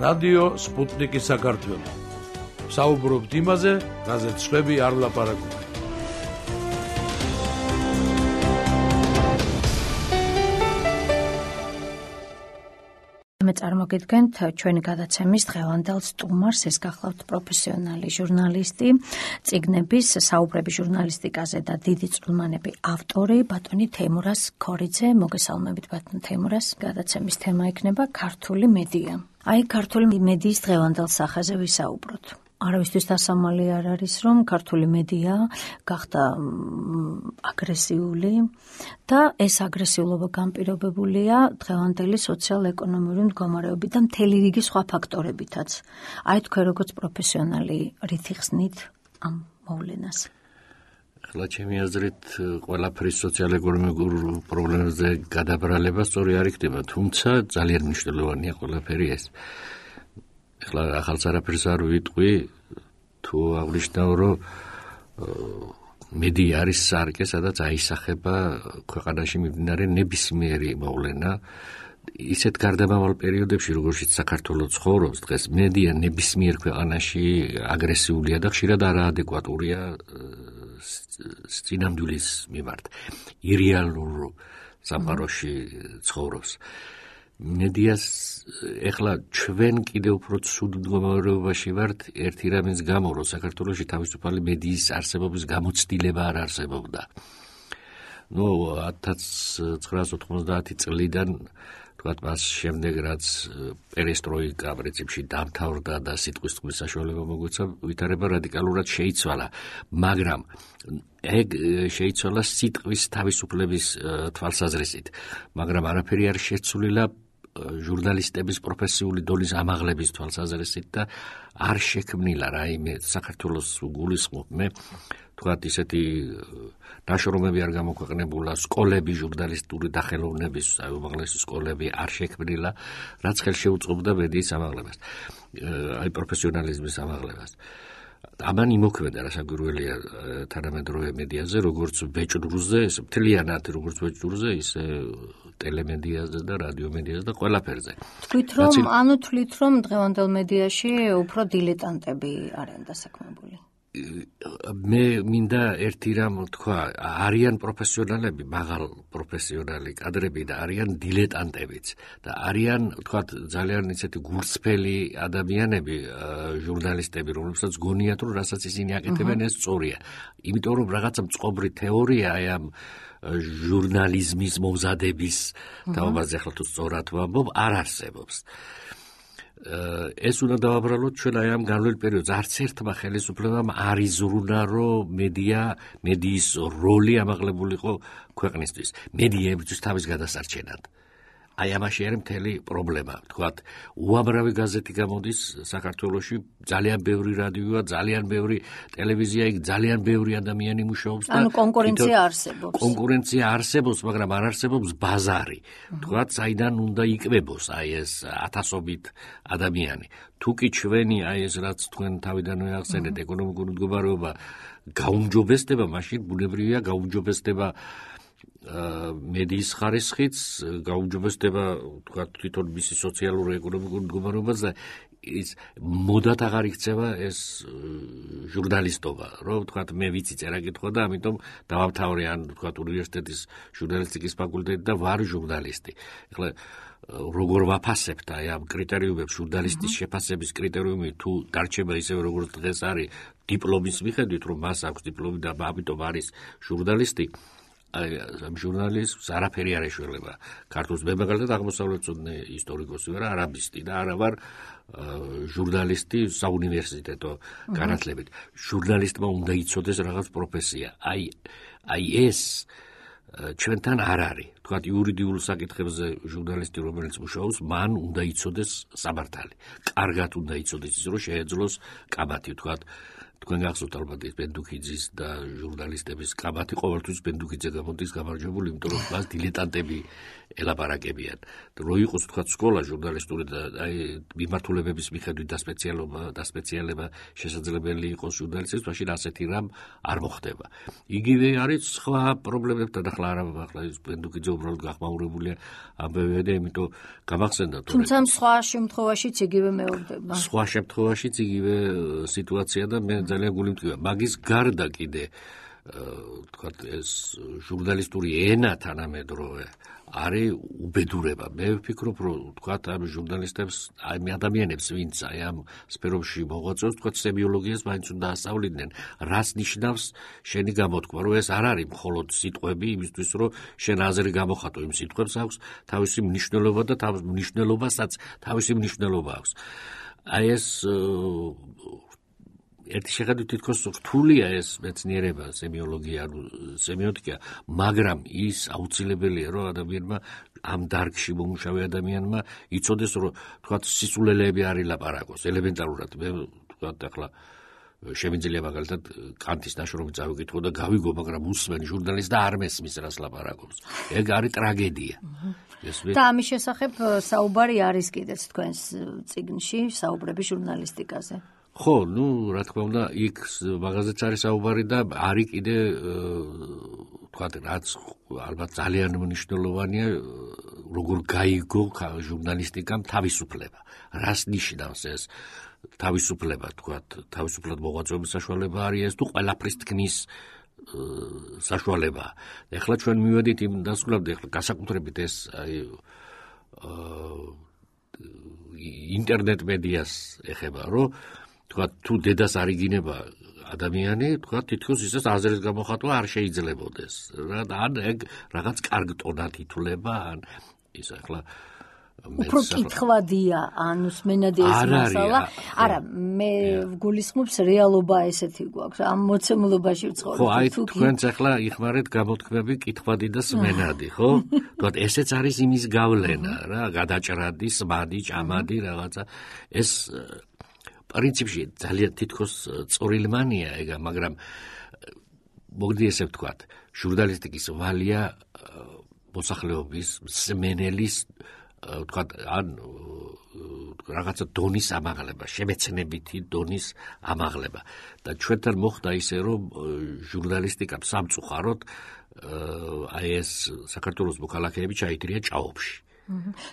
რადიო სპუტნიკი საქართველო. საუბრობთ იმაზე, რაზეც სხვები არ ლაპარაკობენ. მე წარმოგიდგენთ ჩვენი გადაცემის დღევანდელ სტუმარს, ეს გახლავთ პროფესიონალი ჟურნალისტი, წიგნების საუბრები ჟურნალისტიკაზე და დიდი წვრილმანები ავტორი ბატონი თეიმურაზ ქორიძე. მოგესალმებით ბატონ თეიმურაზ. გადაცემის თემა იქნება ქართული მედია. ქართული მედიის დღევანდელ სახეზე ვისაუბროთ. არავისთვის დასამალი არ არის, რომ ქართული მედია გახდა აგრესიული და ეს აგრესიულობა განპირობებულია დღევანდელი სოციალ-ეკონომიური მდგომარეობით და მთელი რიგი სხვა ფაქტორებითაც. თქვენ როგორც პროფესიონალი რითი ხსნით ამ მოვლენას? ახლა ჩემი აზრით ყველაფრის სოციალ-ეკონომიკურ პრობლემებზე გადაბრალება სწორი არ იქნება, თუმცა ძალიან მნიშვნელოვანია ყველაფერი ეს. ახლა ახალს არაფერს არ ვიტყვი, თუ აღნიშნავ, რომ მედია არის სარკე, სადაც აისახება ქვეყანაში მიმდინარე ნებისმიერი მოვლენა. ისეთ გარდამავალ პერიოდებში, როგორშიც საქართველო ცხოვრობს დღეს, მედია ნებისმიერ ქვეყანაში აგრესიულია და ხშირად არაადეკვატურია წინამძღვრის მიმართ. ირეალურ სამყაროში ცხოვრობს. მედიას ეხლა ჩვენ კიდევ უფრო ცუდ მდგომარეობაში ვართ ერთი რამის გამო, რომ საქართველოში თავისუფალი მედიის არსებობის გამოცდილება არ არსებობდა. 1990 წლიდან თქვათ მას შემდეგ, რაც პერესტროიკა პრინციპში დამთავრდა და სიტყვის თქმის საშუალება მოგვეცა, ვითარება რადიკალურად შეიცვალა, მაგრამ ეგ შეიცვალა სიტყვის თავისუფლების თვალსაზრისით, მაგრამ არაფერი არ შეცვლილა ჟურნალისტების პროფესიული დონის ამაღლების თვალსაზრისით და არ შექმნილა რაიმე საქართველოს გულისხმობ მე თქვათ ისეთი ნაშრომები არ გამოქვეყნებულა, სკოლები ჟურნალისტური დახელოვნების უმაღლესი სკოლები არ შექმნილა, რაც ხელშეუწყობდა მედიის ამაღლებას, პროფესიონალიზმის ამაღლებას. ამან იმოქმედა რასაკვირველია თანამედროვე მედიაზე, როგორც ბეჭდურზე, მთლიანად როგორც ბეჭდურზე, ისე ტელემედიაზე და რადიომედიაზე და ყველაფერზე. თვით რომ დღევანდელ მედიაში უფრო დილეტანტები არიან დასაქმებული. მე მინდა ერთი რამ თქვა, არიან პროფესიონალები, მაღალ პროფესიონალი კადრები და არიან დილეტანტებიც და არიან თქვათ ძალიან ისეთი გულწრფელი ადამიანები, ჟურნალისტები, რომლებსაც გონიათ, რომ რასაც ისინი აკეთებენ ეს სწორია. იმიტომ რომ რაღაცა მწყობრი თეორია ამ ჟურნალიზმის მომზადების თაობაზე ახლა თუ სწორად ვამბობ, არ არსებობს. ეს უნდა დავაბრალოთ ჩვენ ამ განვლილ პერიოდს. არც ერთმა ხელისუფლებამ არ იზრუნა, რომ მედიის როლი ამაღლებულიყო ქვეყნისთვის. მედია ებრძვის თავის გადასარჩენად. ამაში არის მთელი პრობლემა. თქვათ, უამრავი გაზეთი გამოდის საქართველოში, ძალიან ბევრი რადიოა, ძალიან ბევრი ტელევიზია, ძალიან ბევრი ადამიანი მუშაობს და კონკურენცია არსებობს. კონკურენცია არსებობს, მაგრამ არ არსებობს ბაზარი. თქვათ, საიდან უნდა იკვებოს ეს ათასობით ადამიანი. თუ კი ჩვენი ეს რაც თქვენ თავიდანვე ახსენეთ, ეკონომიკური მდგომარეობა გაუმჯობესდება, მაშინ ბუნებრივია გაუმჯობესდება მედიის ხარისხიც, გაუმჯობესდება თქვათ თვითონ მისი სოციალური ეკონომიკური მდგომარეობა და ის მოდად აღარ იქცევა ეს ჟურნალისტობა, რომ თქვათ მე ვიცი წერა-კითხვა და ამიტომ დავამთავრე ან თქვათ უნივერსიტეტის ჟურნალისტიკის ფაკულტეტი და ვარ ჟურნალისტი. ეხლა როგორ ვაფასებთ ამ კრიტერიუმებს, ჟურნალისტის შეფასების კრიტერიუმი თუ დარჩება ისევე როგორც დღეს არის დიპლომის მიხედვით, რომ მას აქვს დიპლომი და ამიტომ არის ჟურნალისტი, ამ ჟურნალისტს არაფერი არ ეშველება. ქართულს მე მაგალითად აღმოსავლეთმცოდნე ისტორიკოსი ვარ, არაბისტი და არა ვარ ჟურნალისტი საუნივერსიტეტო განათლებით. ჟურნალისტმა უნდა იცოდეს რაღაც პროფესია. ეს ჩვენთან არ არის. თქვათ იურიდიულ საკითხებზე ჟურნალისტი რომელიც მუშაობს, მან უნდა იცოდეს სამართალი. კარგად უნდა იცოდეს ის, რომ შეეძლოს კამათი, თქვათ თქვენ გახსოვთ ალბათ ის ბენდუქიძის და ჟურნალისტების კაბათი ყოველთვის ბენდუქიძე გამოდის გამარჯვებული, იმიტომ რომ მას დილეტანტები ელაპარაკებიან. რო იყოს თქვა სკოლა ჟურნალისტური და აი მიმართულებების მიხედვით დასპეციალება შესაძლებელი იყოს ჟურნალისტებს, მაშინ ასეთი რამ არ მოხდება. იგივე არის სხვა პრობლემებთან, ახლა ახლა ის ბენდუქიძე უბრალოდ გახმაურებულია ამბებია და იმიტომ გამახსენდა თუმცა სხვა შემთხვევაშიც იგივე მეორდება. სხვა შემთხვევაშიც იგივე სიტუაცია და მე ძალიან გულიმტკივა. მაგის გარდა კიდე თქვათ ეს ჟურნალისტური ენა თანამედროვე არის უბედურება. მე ვფიქრობ, რომ თქვათ ამ ჟურნალისტებს, ამ ადამიანებს, ვინც აი ამ სფეროში მოღვაწეობს, თქვათ სემიოლოგიას მაინც უნდა ასწავლიდნენ, რას ნიშნავს შენი გამოთქმა, რომ ეს არ არის მხოლოდ სიტყვები იმისთვის, რომ შენ აზრი გამოხატო, იმ სიტყვებს აქვს თავისი მნიშვნელობა და თავის მნიშვნელობასაც თავისი მნიშვნელობა აქვს. აი ეს ერთი შეხედვით თითქოს რთულია ეს მეცნიერება, სემიოლოგია, ანუ სემიოტიკა, მაგრამ ის აუცილებელია, რომ ადამიანმა ამ დარგში მომუშავე ადამიანმა იცოდეს, რომ თქვათ სისულელეები არ ილაპარაკოს, ელემენტარულად. მე თქვათ ახლა შემიძლია მაგალითად კანტის ნაშრომი წავიკითხო და გავიგო, მაგრამ უსმენ ჟურნალისტს და არ მესმის რას ლაპარაკობს. ეგ არის ტრაგედია. და ამის შესახებ საუბარი არის კიდეც თქვენს წიგნში, საუბრები ჟურნალისტიკაზე. ხო, რა თქმა უნდა, იქ მაგაზეც არის საუბარი და არის კიდე თქვათ, რაც ალბათ ძალიან მნიშვნელოვანია, როგორ გაიგო ჟურნალისტიკამ თავისუფლება. რას ნიშნავს ეს თავისუფლება, თქვათ, თავისუფლად მოღვაწეობის საშუალება არის ეს თუ ყველაფრის თქმის საშუალება. ეხლა ჩვენ მივედით იმ დასკვნამდე, ეხლა განსაკუთრებით ეს აი ინტერნეტ მედიას ეხება, რომ თქვათ თუ დედას არ იგინება ადამიანი, თქვათ თითქოს ისეს აზრის გამოხატვა არ შეიძლებოდეს. ან ეგ რაღაც კარგ ტონად ითვლება, ან ის ახლა უფრო კითხვადია, ანუ სმენადი ეს მასალა. არა, მე გულისხმობს რეალობა ესეთი გვაქვს. ამ მოცემულობაში ვცხოვრობ. ხო, აი თქვენც ახლა იხმარეთ გამოთქმები კითხვადი და სმენადი, ხო? თქვათ ესეც არის იმის გავლენა, რა, გადაჭრადი, სმადი, ჭამადი რაღაცა. ეს პრინციპში ძალიან თითქოს წორილმანია ეგა, მაგრამ მოგდი ესე ვთქვათ, ჟურნალისტიკის ვალია მოსახლეობის, მსმენელის თქვათ, ან რაღაცა დონის ამაღლება, შემეცნებითი დონის ამაღლება. და ჩვენთან მოხდა ისე, რომ ჟურნალისტიკამ სამწუხაროდ აი ეს საქართველოს მოქალაქეები ჩაითრია ჭაობში.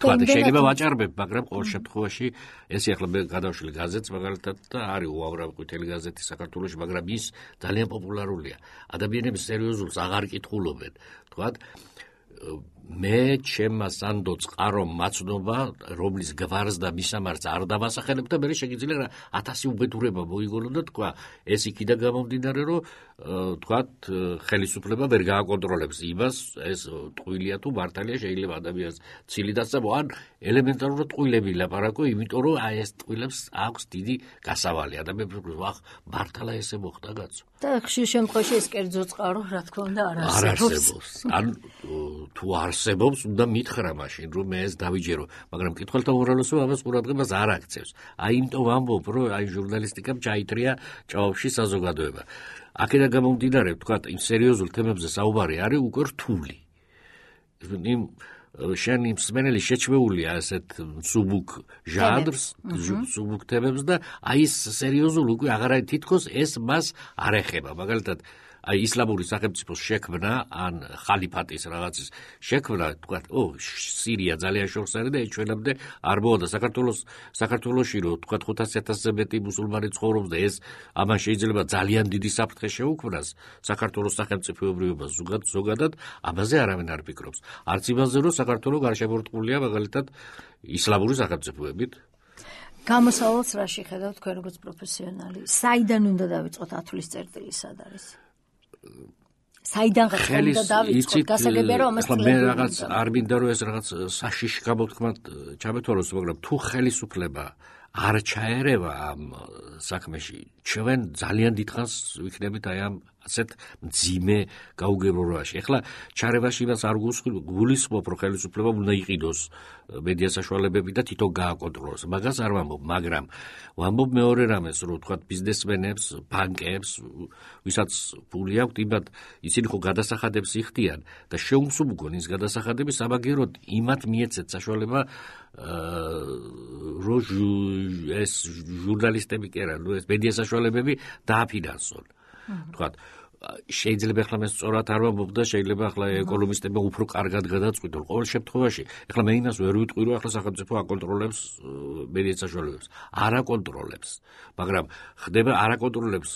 თქვათ, შეიძლება ვაჭარბებ, მაგრამ ყოველ შემთხვევაში ესე ახლა მე გადავშლი გაზეთს მაგალითად და არის უამრავი ყვითელი გაზეთი საქართველოში, მაგრამ ის ძალიან პოპულარულია. ადამიანები სერიოზულს აღარ კითხულობენ. თქვათ, მე ჩემმა სანდო წყარო მაცნობა, რომლის გვარს და მისამართს არ დავასახელებ და მე შეგიძლია 1000 უბედურება მოიგონო და თქვა, ეს იქიდან გამომდინარე, რომ თქვათ, ხელისუფლება ვერ გააკონტროლებს იმას, ეს ტყუილია თუ მართალია, შეიძლება ადამიანს ცილი დასწამო, ან ელემენტარულად ტყუილები ლაპარაკო, იმიტომ რომ აი ეს ტყუილებს აქვს დიდი გასავალი. ადამიანს ვახ, მართლა ესე მოხდა კაცო. და ხშირ შემთხვევაში ეს კერძო წყარო, რა თქმა უნდა, არ არსებობს. ან თუ არსებობს, უნდა მითხრა მაშინ, რომ მე ეს დავიჯერო, მაგრამ მკითხველთა უმრავლესობა ამას ყურადღებას არ აქცევს. აი იმიტომ ვამბობ, რომ აი ჟურნალისტიკამ ჩაითრია ჭაობში საზოგადოება. აქედან გამომდინარე, ვთქვათ, იმ სერიოზულ თემებზე საუბარი არის უკვე რთული. იმ შენი მსმენელი შეჩვეულია ასეთ მსუბუქ ჟანრს, მსუბუქ თემებს და აი ეს სერიოზულ უკვე აღარ არის თითქოს ეს მას არ ეხება. მაგალითად, აი ისლამური სახელმწიფოს შექმნა, ან ხალიფატის რაღაცის შექმნა, თქვათ, სირია ძალიან შორს არის და ჩვენამდე არ მოხდა. საქართველოში რომ თქვათ 500,000-ზე მეტი მუსულმანი ცხოვრობს და ეს ამან შეიძლება ძალიან დიდი საფრთხე შეუქმნას საქართველოს სახელმწიფოებრიობას ზოგადად, ამაზე არავინ არ ფიქრობს. არც იმაზე, რომ საქართველო გარშემორტყმულია მაგალითად ისლამური სახელმწიფოებით. გამოსავალს რა შეხედავთ თქვენ როგორც პროფესიონალი? საიდან უნდა დავიწყოთ ათვლის წერტილი, სად არის? საიდან უნდა დავიწყოთ? გასაგებია რომ ამას მე რაღაც არ მინდა რომ ეს რაღაც საშიში გამოთქმად ჩამეთვალოს, მაგრამ თუ ხელისუფლება არ ჩაერევა ამ საქმეში, ჩვენ ძალიან დიდხანს ვიქნებით აი ამ ასეთ მძიმე გაუგებრობაში. ეხლა ჩარევაში იმას არ გულისხმობ, რომ ხელისუფლება უნდა იყიდოს მედია საშუალებები და თვითონ გააკონტროლოს. მაგას არ ვამბობ, მაგრამ ვამბობ მეორე რამეს, რომ თქვა ბიზნესმენებს, ბანკებს, ვისაც ფული აქვთ, იმათ ისინი ხო გადასახადებს იხდიან და შეუმსუბუქონ ის გადასახადები, სამაგეროდ იმათ მიეცეთ საშუალება რო ეს ჟურნალისტები კი არა, ეს მედია საშუალებები დააფინანსონ. თქვა შეიძლება ახლა მე სწორად არ ვამბობ და შეიძლება ახლა ეკონომისტებმა უფრო კარგად გადაწყვიტონ. ყოველ შემთხვევაში, ახლა მე იმას ვერ ვიტყვი, რომ ახლა სახელმწიფო აკონტროლებს მედია საშუალებებს. არ აკონტროლებს, მაგრამ ხდება არ აკონტროლებს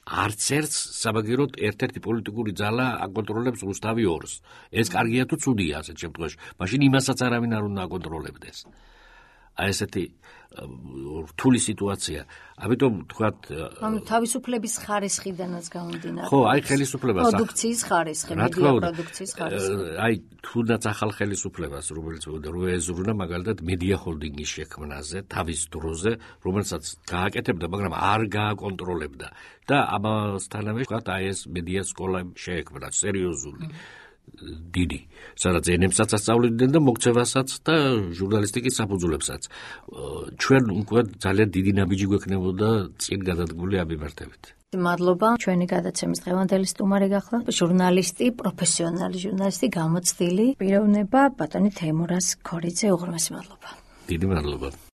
არც ერთს, სამაგეროდ ერთ-ერთი პოლიტიკური ძალა აკონტროლებს რუსთავი 2-ს. ეს კარგია თუ ცუდია ასეთ შემთხვევაში. მაშინ იმასაც არავინ არ უნდა აკონტროლებდეს. აი ესეთი რთული სიტუაცია. ამიტომ თქვათ თავისუფლების ხარისხიდანაც გამომდინარე. ხო, აი ხელისუფლებას პროდუქციის ხარისხი, მედია პროდუქციის ხარისხი. აი თუნდაც ახალ ხელისუფლებას, რომელიც რო ეზრუნა მაგალითად მედია ჰოლდინგის შექმნაზე, თავის დროზე, რომელსაც გააკეთებდა, მაგრამ არ გააკონტროლებდა. და ამასთანავე თქვათ აი ეს მედია სკოლა შეექმნა, სერიოზული. დიდი, სადაც ენებსაც ასწავლიდნენ და მოქცევასაც და ჟურნალისტიკის საფუძვლებსაც. ჩვენ უკვე ძალიან დიდი ნაბიჯი გვექნებოდა წინ გადადგმული ამ მიმართებით. მადლობა. ჩვენი გადაცემის დღევანდელი სტუმარი გახდა ჟურნალისტი, პროფესიონალი ჟურნალისტი, გამოცდილი პიროვნება ბატონი თეიმურაზ ქორიძე. უღრმესი მადლობა. დიდი მადლობა.